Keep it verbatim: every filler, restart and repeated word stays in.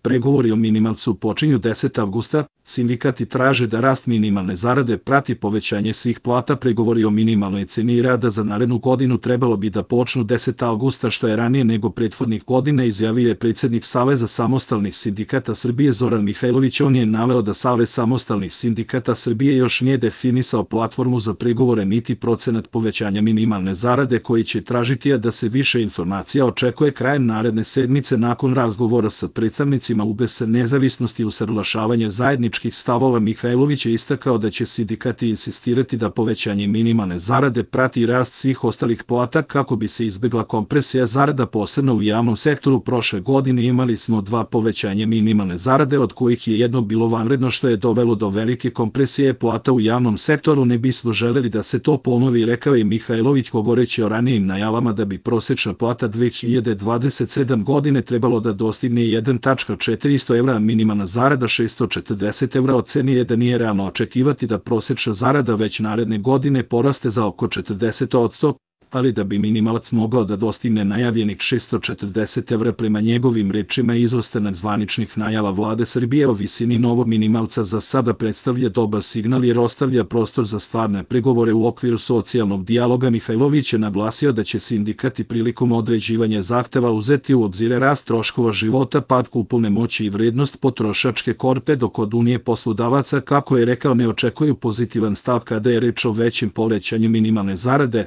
Pregovori o minimalcu počinju desetog avgusta, sindikati traže da rast minimalne zarade prati povećanje svih plata. Pregovori o minimalnoj ceni rada za narednu godinu trebalo bi da počnu desetog avgusta, što je ranije nego prethodnih godina, izjavio je predsjednik Saveza samostalnih sindikata Srbije Zoran Mihajlović. On je naveo da Savez samostalnih sindikata Srbije još nije definisao platformu za pregovore niti procenat povećanja minimalne zarade koji će tražiti, a da se više informacija očekuje krajem naredne sedmice nakon razgovora sa predstavnicima U B S nezavisnosti i usaglašavanja zajedničkih stavova. Mihajlović je istakao da će sindikati insistirati da povećanje minimalne zarade prati rast svih ostalih plata kako bi se izbegla kompresija zarada, posebno u javnom sektoru. Prošle godine imali smo dva povećanja minimalne zarade, od kojih je jedno bilo vanredno, što je dovelo do velike kompresije plata u javnom sektoru. Ne bismo želeli da se to ponovi, rekao je Mihajlović, govoreći o ranijim najavama da bi prosečna plata dve hiljade dvadeset sedme godine trebalo da dostigne jedan zarez četiristo evra, a minimalna zarada šessto četrdeset evra. Oceni je da nije realno očekivati da prosečna zarada već naredne godine poraste za oko četrdeset posto, ali da bi minimalac mogao da dostigne najavljenih šessto četrdeset evra. Prema njegovim rečima, izostanak zvaničnih najava vlade Srbije o visini novog minimalca za sada predstavlja dobar signal jer ostavlja prostor za stvarne pregovore u okviru socijalnog dijaloga. Mihajlović je naglasio da će sindikati prilikom određivanja zahteva uzeti u obzir rast troškova života, pad kupovne moći i vrednost potrošačke korpe, dok od Unije poslodavaca, kako je rekao, ne očekuju pozitivan stav kada je reč o većem povećanju minimalne zarade.